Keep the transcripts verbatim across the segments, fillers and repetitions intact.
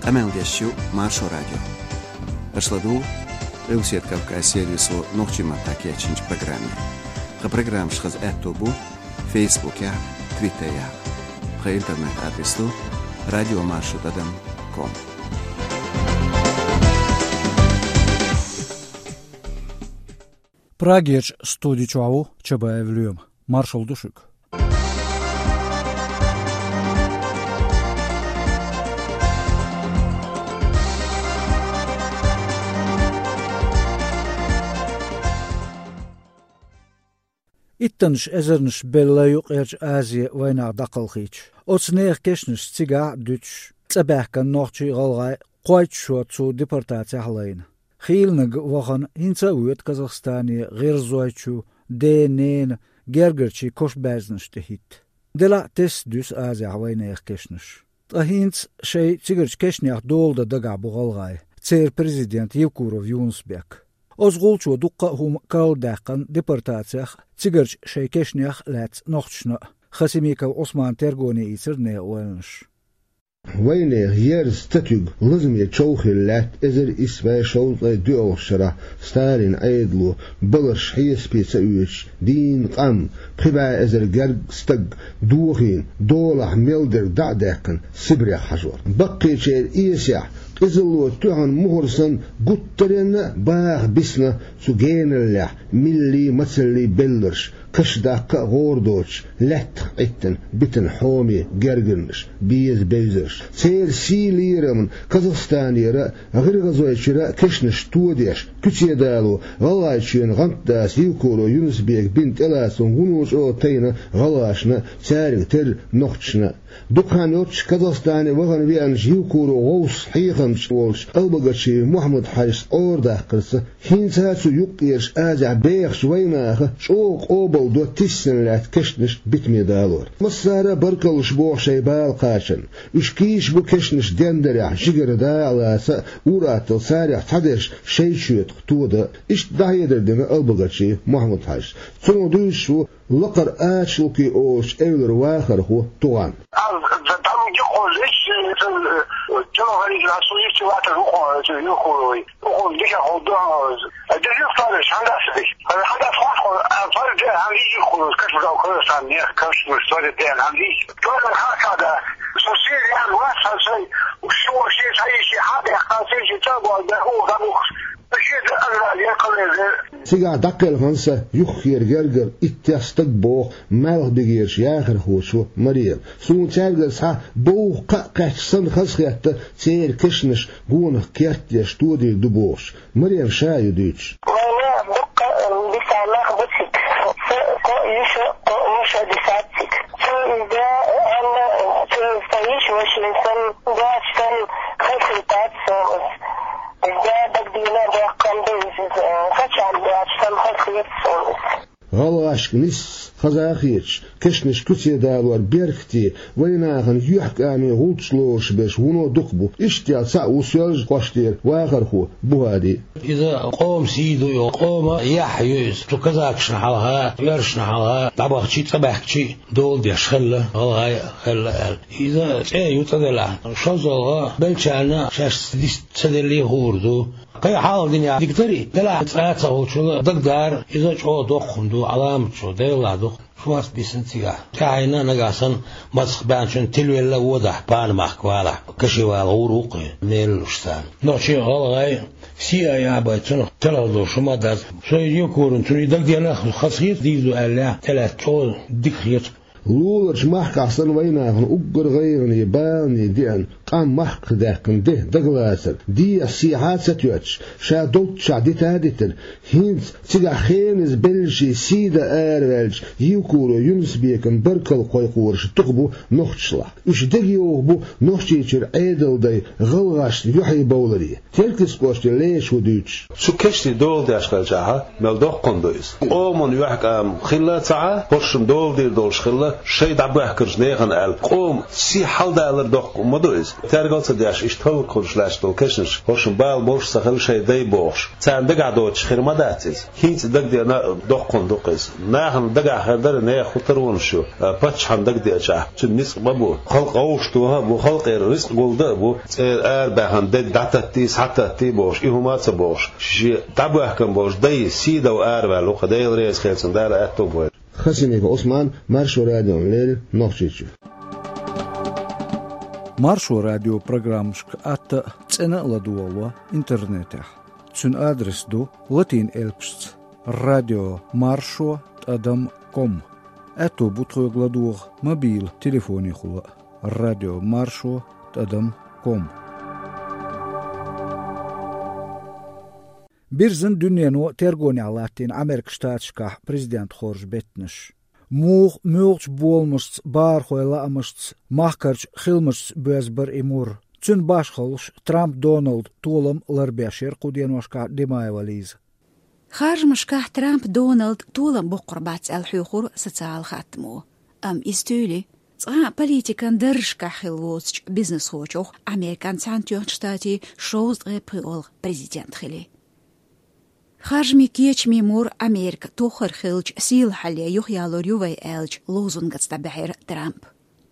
Къамел деш ю Маршо радио. Аша ладугӀу Къилбаседа Кавказ сервисо нохчийн маттахь кечйинчу программе. Тхан программаш хаза аьтто бу Фейсбукехь, Твиттерехь. Тхан интернет-адрес ду радиомаршо тӀадам ком. Прагерчу студи чохь ву Чабаев Лоьма. Маршалла ду шуьга. Иттаннаш эзарнаш белла Юккъерчу Азе вайнах дӀакхалхийча. Оцу нехан кешнаш цигахь а дуьтуш, цӀа баьхкина нохчий а, гӀалгӀай а кхойтта шо цу депортацехь лайна. Хийланиг вахана, хӀинца а воьду Казахстане гӀирзойчу ден-ненан гергарчийн кошан баьзнаш тӀе хӀитта. Делахь а тесна дуьсу Азехь вайнехан кешнаш. Ткъа хӀинца шайн цигарчу кешнех дола дан дагахь бу гӀалгӀай, церан президент Евкуров Юнус-Бек. Оцу гӀулчо дуккха а хӀума карладаьккхина депортацех а, цигарчу шайн кешнех а лаьцна нохчашна а. Хасимиков Ӏусмана тергоне ийцира нехан ойланаш. Вайнехан ерза татуьг лазаме чов хилла лаьтта эзар исс бӀе шовзткъе доьалгӀачу шарахь Сталинан Ӏедало баларш хьесапе ца оьцуш дийна къам, пхи бӀе эзар гергга стаг дохийна, долахь мел дерг дӀа а даьккхина, Сибрех хьажор. Баккхийчеран эсехь, къизалло тоьхна мухӀар санна, гуттаренна а баха бисна цу геналлехь милли, мацалли белларш, каш даккха а гӀора доцуш, лаьттах Ӏиттина битина хьоме гергарнаш, беза бевзарш. Церан сий лерамна Казахстанера а, ГӀиргӀазойчуьра а кешнаш тодеш, куьце дало ГӀалгӀайчоьнан гӀантдас Евкуров Юнус-Бека бина тӀелацам вуно чӀогӀа тайна гӀалгӀашна а, цаьрга терра нохчашна а. Дукха хан йоццуш Казахстане вахана веанчу Евкуров вовсаш хьехамча волчу Албогачиев Мухьаммад-Хьаьжас Ӏорадаккхарца, хӀинца а цу Юккъерчу Азехь бехачу вайнаха чӀогӀа къобалдо тиссина лаьтта кешнаш битаме далор. Массара а баркаллаш боху шайн бала кхачарна. Уьш кийча бу кешнаш дендарехь, жигара дакъа лаца а, ур-атталла царех цхьадерш шайн чоьтах тодан а. Иштта дӀахьедар дина Албогачиев Мухьаммад-Хьаьжас. Цунах дуьйцуш ву Лакхара Ачалкхи олучу эвлара вахархо Туган. Аз д-, там где ходишь, э, э, чего говорить, а что есть чего-то, ну, хо-, это, ну, хо-, ну, хо-, дыша, хо-, да, а держи старый, шандасы дыш. А шандас хват, хо-, а, парень, да, а видишь, хо-, как бы, как бы, там, нет, как бы, что ли, да, а видишь. Тоже хата, да. Соседи, я, власть, а, всё, всё, все, все, все, хата, я, а, все, все, все, да, да, о, да, ух. Цигахь дӀакхелхина сан юххера гергара иттех стаг, боху Малхбугерчу яхархочо Марема. Суна цаьргара схьа бовха кхаъ кхаьчча санна хазахетта церан кешнаш гонах керт а деш тодийр ду бохуш. Марема ша а ю дуьйцуш. Вайна дуккха, м, дисаннах бу цига. Со кхо йиша, кхо йиша дисац цига. Цу иза, аьлла, цу сан йиша ваша сан, дац сан, хазахетац сан. Иза дагдина бохкам ду иза, кхачам баьча сан хазахетац сан. ГӀалгӀашка нисса хаза а хеташ, кешнаш куьце далор беркате вайнахана юьхькӀаме гӀулч лоруш берш вуно дукха бу. Иштта цхьаъ ву Соьлжа-кхоштера вахархо Бухади. Иза къоман сий ду, йо, къоман яхь ю иза. Цу казакашна хьалха, оьрсашна хьалха дӀабахчий, цӀа баьхкичий дола деш хилла, гӀалгӀай а хилла аьлла. Иза цӀе ю цӀа делахь. ШозлагӀа беллачарна шаьш дис ца деллий хуур ду. Кхин хьалха динехь дика дарий, делахь цкъа а ца хуучул дагадара, иза чӀогӀа доккха хӀума ду, Ӏаламат чӀогӀа, Делан дуьхьа. Шорта бисина цигахь. ТӀаьхьенна нагахь санна мацах баьхначун тилавелла а водахь, пана махка валахь, каши вала гӀур ву кхин, мелла луш царна. Нохчий, гӀалгӀай сий а яхьабай, цунах телхар долуш хӀума а дац. Со иза Евкуровна, цунна и дагадеана, хазахета дийр ду аьлла, тӀелаьцна чӀогӀа дика хета. Луларчу махкахь санна вайнахана уггар гӀайгӀане, балане деана, къам махках даьккхина де дагалацар, дехьа-сехьа а ца тоьттуш, ша долччохь дита а дитина, хӀинца цигахь хеназа беллачий сий дан араваьллачу Евкуров Юнус-Бекана баркалла кхойкхораш дукха бу нохчашлахь. Уьш дегайовха бу Нохчийчуьра Ӏедалдай гӀалгӀашна юьхье бовларе. Теркйист-кӀоштера Леша ву дуьйцуш. Цу кешнийн дола деш хилчахьа, мел доккха хӀума ду иза. Къоман юьхькӀам хилла а ца Ӏа, хӀоршна дола дийр долуш хилла, шайн дӀабоьхкарчу нехан аьлла, къоман сий хьаладалар доккха хӀума ма ду иза. Тергал ца деш, иштта хӀаллакьхуьлуш лаьтташ долу кешнаш, хӀоршна бала болуш ца хилла шайн дай бохуш, царна дагахь доцуш хир ма дац иза. ХӀинца дагадеана доккхун ду-кх иза. Нахана дагахь хир дара нехан хӀун таронаш ю, а, паччахьна дагадеачахь, цуьнан ницкъ ма бу. Халкъ вовшахтоха а бу, халкъера рицкъ гулдан а бу, цӀера арабаьхна дерг дӀататтий, схьататтий бохуш, и хӀума а ца бохуш, шен дӀабоьхкина болчу дайн сий дала араваьлла ву-кх, Дела реза хилла цунна, Дала аьтто бойла. Хасимиков Ӏусман, Маршо радиона леррина, Нохчийчуьра. Маршо радион программашка атта а, цӀена а ладогӀало интернетехь. Цуьнан адрес ду латин элпашца: радио маршо тӀадам ком. Аьтто бу тхоьга ладогӀа мобил телефонехула а: радио маршо тӀадам ком. Бирзина дуьнено тергонехь латтийна Америкин Штаташкахь президент хоржу беттанаш. Муха муьлхачу боламашца, бахархойн лаамашца, махкарчу хиламашца боьзна бара и мур? Цуьнан башхаллаш Трамп Доналдан толам ларбеш яра кху деношкахь Димаева Лиза. Харжамашкахь Трамп Доналдан толам боккхур бац аьлла хьоьхура социалан хаттамо. Амма иза туьйли, цкъа а политикан даржашкахь хилла воцучу бизнесхочух Американ Цхьаьнатоьхначу Штатийн шовзткъе пхоьалгӀа президент хили. Харжамийн кечамийн мур Америка тоххара хиллачу сийлахьалле юхаялор ю вай аьллачу лозунгаца дӀабаьхьира Трамп.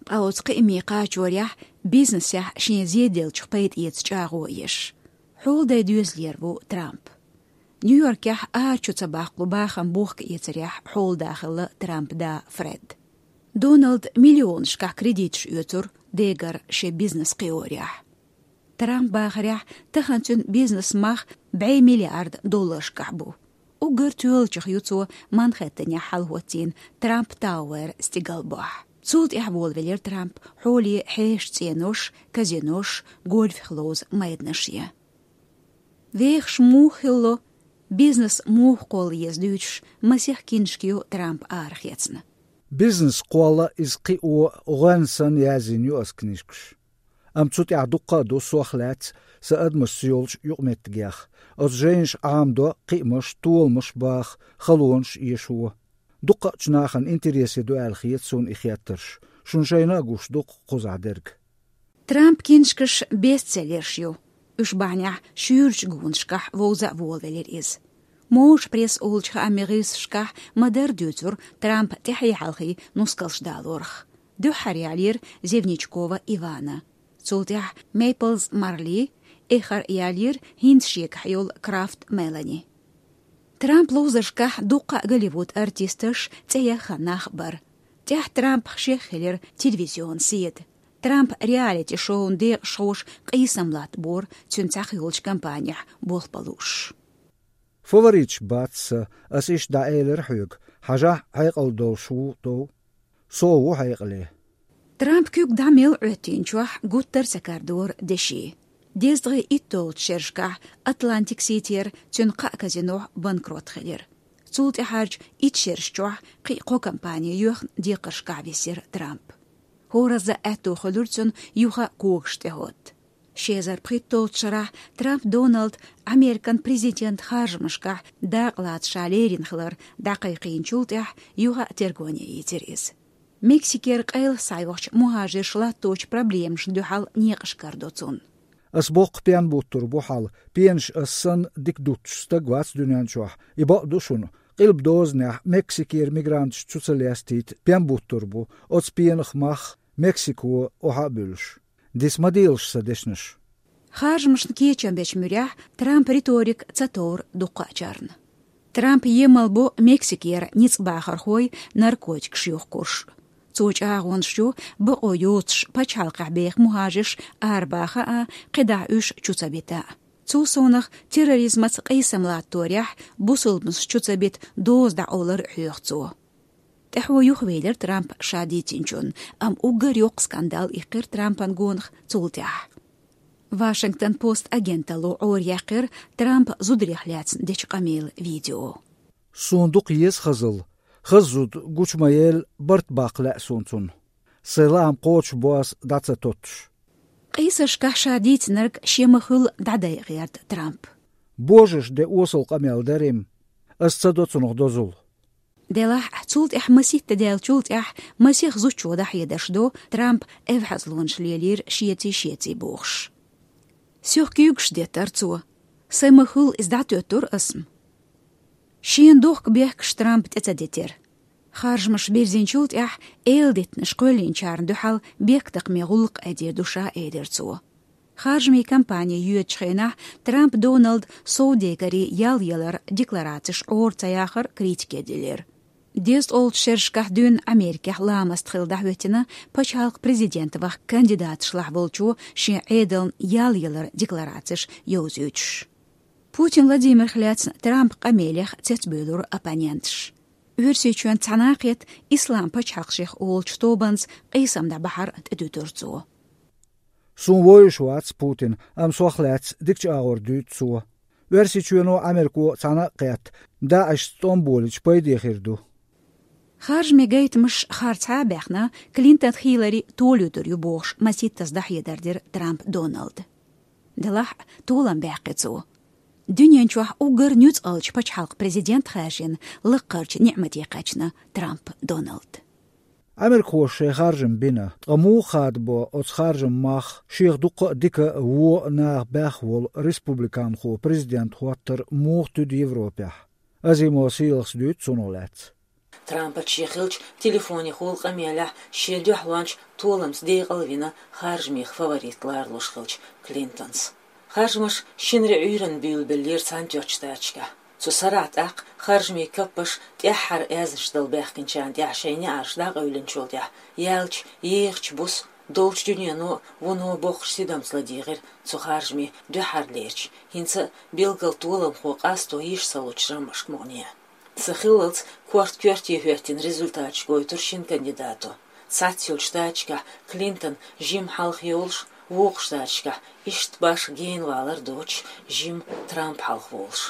Ткъа оцу кхиаме кхачорехь бизнесехь шен зеделлачух пайда эца чӀагӀо а еш, хьоладай доьзалера ву Трамп. Нью-Йоркехь ара чу ца баккхалу бахам бохка эцарехь хьоладан хилла Трампан да Фред. Доналда миллионашкахь кредиташ оьцура дегара шен бизнес кхиорехь. Трампан бахарехь, тахана цуьнан бизнесан мах бӀе миллиард долларшкахь бу. Уггар тоьллачух ю цо Манхэттенехь хьалахӀоттийна Трамп Тауэр стигалбохь. Цул тӀаьхьа волавелира Трамп хьоле хьешан цӀенош, казинош, гольфах ловза майданаш ян. Вехаш муха хилало, бизнес муха кхолла еза дуьйцуш, масех киншка ю Трампа арахецна. Бизнес кхолла, иза кхио гӀоьнна санна язйина ю аса книжкаш. Амма цу тӀехь дуккха а ду сох лаьцна сан адамашца йолчу юкъаметтигех. Оцу жайнаша Ӏамадо кхиамаш, толамаш баха, халонаш эшо. Дуккхаъчу нахана интересе ду аьлла хета суна и хеттарш. Шуна шайна а гуш ду-кх кхузахь дерг. Трампан киншкаш бестселлерш ю. Уьш бахьанехь шуьйрачу гонашкахь вовза а волавелира иза. Мовш пресс олучу хаамийн гӀирсашкахь ма-дарра дуьйцура Трампа тӀаьхье хьалхе нускалш далорах. Дуьххьара ялийра Зевничкова Ивана. Цул тӀаьхьа Мейплз Марли, эххар ялийра хӀинца шегахь йолу Крафт Мелани. Трампан ловзаршкахь дуккха а Голливуд артисташ, цӀе яххана нах а бара. ТӀаьхьа Трампах шех хилира телевизион седа. Трампан реалити-шоун декъашхоша къийсам латтабора цуьнан цхьаъ йолчу кампанехь болх бан лууш. Фавориташ бац сан, ас иштта дӀаэлира хьоьга, хьажахь, хьекъал долуш ву дов. Со а ву хьекъале. Трампа куьг дӀа мел Ӏоьттинчохь гуттар а ца карадора деши. Дезткъе итталгӀачу шерашкахь Атлантик-Ситера цуьнан кхаа казинохь банкрот хилира. Цул тӀаьхьарчу итт шераш чохь кхин а кхо компани йоьхна декхаршкахь висира Трамп. ХӀоразза аьтто хуьлура цунна юха а когаш тӀехӀотта. Ши эзар пхийтталгӀачу шарахь Трамп Доналда Американ президентан харжамашкахь дакъа лаца ша лерина хилар дӀакхайкхийначул тӀаьхьа юха а тергоне йийцира иза. Мексикера къайлаха схьайогӀучу мухӀажирша латточу проблемашна дуьхьал некъаш карадо цунна. Ас боккха пен буттур бу хьал, пенаш ас санна дика дуттуш стаг вац дуьнен чохь, и бакъ ду шуна. Къилба дозанехь Мексикера мигранташ чу ца лестийта пен буттур бу, оцу пенах мах Мексико охьа а буьллуш. Диса ма делаш сан дешнаш. Харжамашна кечам бечу муьрехь Трампан риторика ца товра дуккхаъчарна. Трамп емал бо Мексикера ницкъ бахархой наркотикаш юхкурш. Цо чӀагӀонаш ю бакъо йоцуш пачхьалкхехь беха мухӀажирш арабаха а, кхидӀа уьш чу ца бита а. Цул совнаха терроризмаца къийсам латторехь бусалбанаш чу ца бита доза дӀакъовлар а хьоьху цо. ТӀаьхьо юхавелира Трамп ша дийцинчунна, амма уггар йоккха скандал иккхира Трампана гонах цул тӀаьхьа. Вашингтон Пост агенталло Ӏораяьккхира Трампа зударех лаьцна дечу къамелан видео. Суна дукха еза хазалла. Хаза зуда гучу ма елла, барт баккха лаьа суна цунна. Сайн лаам кхочушбо ас дӀа ца тоттуш. Къийсашкахь ша дийцинарг шен ма-хуьллу дӀадайа гӀерта Трампа. Божарша де осал къамел дара-м. Ас ца до цунах дозалла. Делахь а цул тӀаьхьа масийтта даьллачул тӀаьхьа масех зудчо дӀахьедарш ду, Трамп эвхьазлонаш лелийра шеца, шеца бохуш. Сох куьйгаш деттара цо. Сайн ма хуьллу иза дӀатоьттура ас-м. Шена дохка бехкаш Трампа тӀе ца дитира. Харжамаш бирзинчул тӀаьхьа эладитанаш кхоьллинчарна дуьхьал бехктакхаме гӀуллакх айдийр ду ша, элира цо. Харжамийн кампани йоьдучу хенахь Трамп Доналда совдегарийн ял яларан декларацеш Ӏора ца яхар критике дилира. ДезткъолгӀачу шерашкахь дуьйна Америкехь ламаст хилла дӀахӀоьттина пачхьалкхан президент ваха кандидаташлахь волчо шен Ӏедална ял яларан декларацеш йовзуьйтуш. Путин Владимирах лаьцна Трампан къамелех цецбуьйлура оппоненташ. Оьрсийчоьнца цхьаьна кхетта Ислам пачхьалкх шех олучу тобанца къийсам дӀабахьар тӀедуьтура цо. Суна вовзаш вац Путин, амма сох лаьцна дикачу агӀор дуьйцу цо. Оьрсийчоьно а, Америко а цхьаьна а кхетта, ДАИШ-ца тӀом болийча пайде хир ду. Харжамийн гайтамаш харцахьа а баьхна, Клинтон Хиллари толуьйтур ю бохуш масийттаза дӀахьедар дира Трамп Доналда. Делахь а толам баьккхи цо. Дуьнен чохь уггар нуьцкъалчу пачхьалкхан президент хаьржина, лаккхарчу ниӀмате кхаьчна Трамп Доналд. Америкхоша шайн харжам бина, ткъа муха хадабо оцу харжаман мах, шех дуккха а дика а, вон а наха баьхна волу республиканхо президент хӀоттар муха туьду Европехь? Азимов Сийлахьас дуьйцу цунах лаьцна. Трампаца шен хиллачу телефонехула къамелехь шен дуьхьалонча толамца декъалвина харжамех фаворит ларалуш хиллачу Клинтонс. Харжамаш шинарин Ӏуьйранна буьйлабеллера Цхьаьнатоьхначу Штаташкахь. Цу сарахь тӀаккха харжамийн каппаш тӀаьххьара аьзнаш дала баьхкинчарна тӀехь шайн неӀарш дӀакъевлинчул тӀаьхьа яьллачу ехачу буса долчу дуьнено а, вуно а боккхачу тидамца ладийгӀира цу харжамийн дуьххьарлерчу, хӀинца а билггал толамхо къасто йиш ца лучу жамӀашка мукъане. Сан хиллалц корта коьрте хӀоьттина результаташ гойтура шина кандидато. Цхьацца йолчу штаташкахь Клинтон жимма хьалха йолуш, вукху штаташкахь иштта башха генавалар доцуш жимма Трамп хьалха волуш.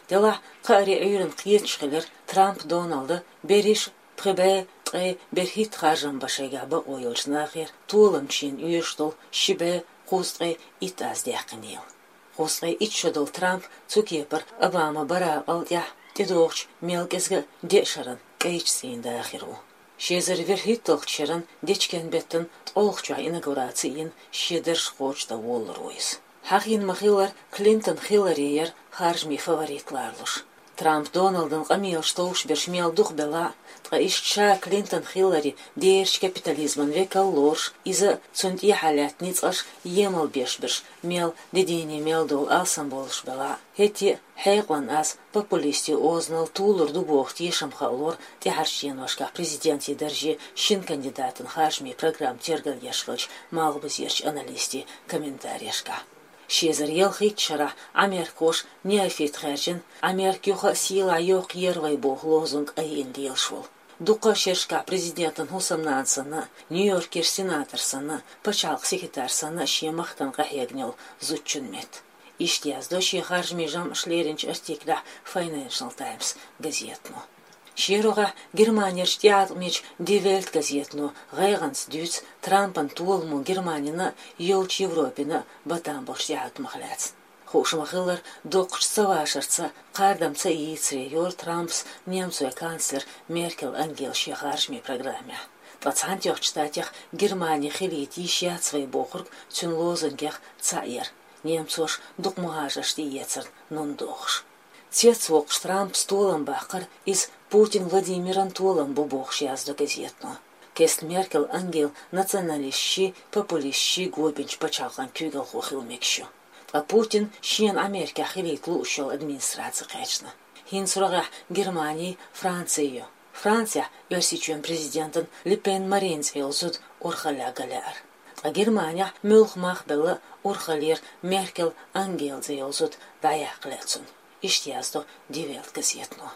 Делахь а кхаарин Ӏуьйранна кхеташ хилира Трамп Доналда берриш а пхи бӀе ткъе берхӀитта харжам бан шайгахь бакъо йолчу нахера толамчу шена оьшуш долу ши бӀе кхузткъе итт аз даьккхинийла. Кхузткъе итт шо долу Трамп цу кепара Обама Баракъал тӀаьхьа тӀедогӀучу мел кӀезга а деа шаран кӀайчу цӀийнан дахар ву. Ши эзар вуьрхӀитталгӀачу шеран дечкен беттан ткъолгӀачохь инаугураци йина шен дарж кхочушдан волалур ву иза. Хьахийна ма-хиллара, Клинтон Хиллари яра харжамийн фаворит ларалуш. Трамп Доналдан къамелаш товш берш мел дукха белахь а, ткъа иштта ша Клинтон Хиллари дерачу капитализман векал лоруш, иза а, цунна тӀехьа лаьтта ницкъаш емал беш берш мел дедийне мел долу алсам болуш белахь а, хӀетте а хьекъалан аз популистийн озанал тулур ду боху тешам хаалора тӀаьхьарчу деношкахь президентийн дарже шина кандидатан харжамийн программа тергал еш хиллачу малхбузерчу аналистийн комментарешкахь. Ши эзар ялхийтта шарахь Ӏамеркахоша неофит хаьржина, «Ӏамерка юха а сийлахь йоккхур яра вай» боху лозунг айина лелаш волу. Дуккха а шерашкахь президентан хӀусамнана санна а, Нью-Йоркера сенатор санна а, пачхьалкхан секретарь санна а шен махкана къахьегна йолу зудчун метта. Иштта яздо шен харжамийн жамӀаш леринчу артиклехь Financial Times газетано. Шен рогӀехь Германерчу тӀеӀаткъамечу Die Welt газетано гӀайгӀанца дуьйцу Трампан толамо Германина а, йолчу Европина а батам болчу тӀеӀаткъамах лаьцна. Хууш ма-хиллара, доккхачу цавашарца, кхардам ца ийцаре йора Трампс немцойн канцлер Меркел Ангела шен харжамийн программехь. Ткъа Цхьаьнатоьхначу Штатех Германи хилийта йиш яц вай бохург цуьнан лозунгех цхьаъ яра, немцоша дукха мухӀажарш тӀеэцарна нун дохуш. Цецвоккхуш Трампс толам баккхара иза Путин Владимиран толам бу бохуш яздо газетано. Кеста Меркел Ангела националисташий, популисташий го бинчу пачхьалкхан куьйгалхо хила мегаш ю. Ткъа Путин шена Ӏамеркехь хилийта лууш йолу администраци кхаьчна. ХӀинца рогӀехь Германи, Франци ю. Францехь Оьрсийчоьнан президентан Ле Пен Марин цӀе йолу зуда урхаллехь ган лаьара. Ткъа Германехь муьлхха мах а белла урхаллера Меркел Ангела цӀе йолу зуда дӀаяккха лаьа цунна. Иштта яздо Die Welt газетано.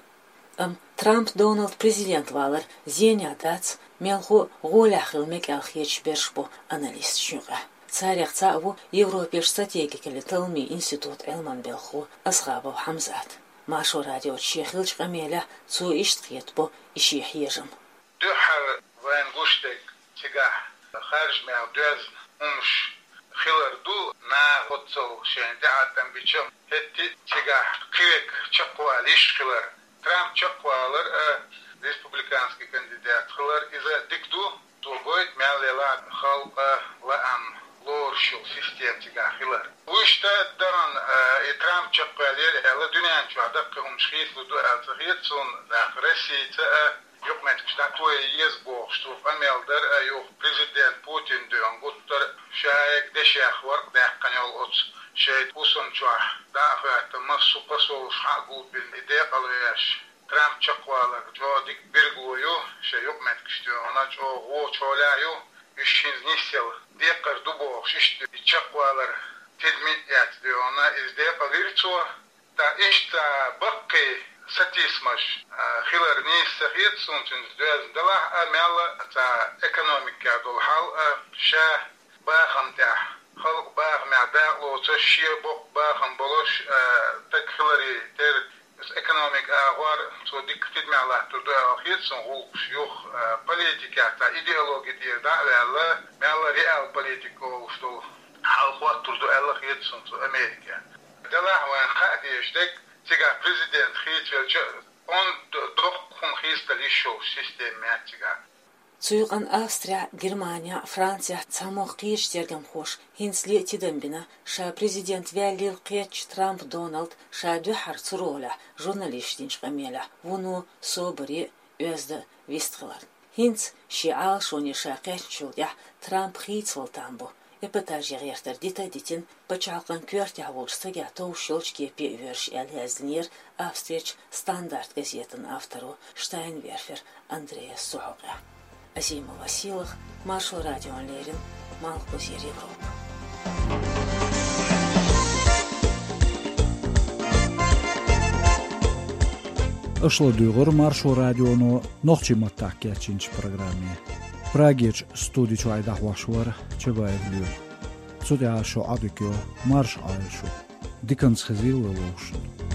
Амма Трамп Доналд президент валар зенехь дац, мелхо а гӀолехь хила мега аьлла хеташ берш бу аналисташна юкъахь. Царех цхьаъ ву Европерчу стратегикаллин талламийн институтан Ӏилманан белхахо Асхабов Хьамзат. Маршо радиоца шен хиллачу къамелехь цо иштта кхетабо и шен хьежам. Дуьххьара вайна гуш дерг, цигахь харжамех доьзна хӀумнаш хилар ду, наха оццул шайна тӀеӀаткъам бича, хӀетте а цигахь кхин верг чекхвала йиш хилар. Трамп чекхвалар а, республиканский кандидат хилар, иза дика ду, цо гойту мел елахь халкъан лаам лоруш йолу система цигахь хилар. Вуьшта даран, э, и Трамп чекхваьллера аьлла, дуьнен чохь даккхий хӀуманаш хийцалур ду аьлла ца хета суна, нах Россица а, юкъаметтигаш дӀатоха еза бохуш цо къамел дара а, юха президент Путин дуьйна гуттара шайга дешех варкъ даьккхина йолу оцу шайн хӀусам чохь дӀа а хӀоьттина, массо а посолаш хьа а гулбина, и декъалвеш, Трамп чекхвалар чӀогӀа дика билгало ю, шайн юкъаметтигаш дуьйна чӀогӀа вочу хьолехь ю, уьш хӀинца нисъяла декхар ду бохуш, иштта и чекхвалар тидаме а эцна дуьйна, иза декъалвира цо. Ткъа иштта баккхий сатийсамаш, а, хилар нийса ца хета суна цуьнца доьзна делахь а, мелла а цхьа экономикехь долу хьал а, ша бахам тӀехь, халкъ бахамехь дакъалоцуш, шен боккха бахам болуш, а, стаг хиларе терра, иза экономика агӀор цо дика тидамехь латтур ду аьлла хета суна гӀуллакхаш юха, а, политикехь цхьа идеологи тӀера дӀа а ваьлла, мелла реал политика олуш долу хьал хӀоттур ду аьлла хета суна цо Америкехь. Делахь вайн хаа дезаш дерг, цигахь президент хийцавелча, онда доккха хӀума хийцадала йиш йолуш система яц цигахь. Цу юкъана Австрехь, Германехь, Францехь цхьамогӀа кхечу тергамхоша хӀинцале а тидам бина, ша президент ваьллийла кхечча Трамп Доналд ша дуьххьара цу ролехь журналисташа динчу къамелехь вуно собаре а, оьзда а вистхиларна. ХӀинца шен Ӏалашоне ша кхаьчначул тӀаьхьа Трамп хийцавала там бу. Эпатажийн гӀертар дита а дитина, пачхьалкхан коьртехь волчу стагехь товш йолчу кепе а воьрзуш аьлла яздинера Австрерчу Стандарт газетан авторо Штайнверфер Андреас цу хьокъехь. Азимова Сийлаха, Маршо радиона леррина, Малхбузера Европа. Аша ладуьйгӀура Маршо радионо нохчийн маттахь кечйинчу программе. Прагерчу студи чуьра дӀахьош вара Чабаев Лоьма. Цу тӀехь шун Ӏадика йо, марша Ӏойла шу. Диканца хезийла вовшашна.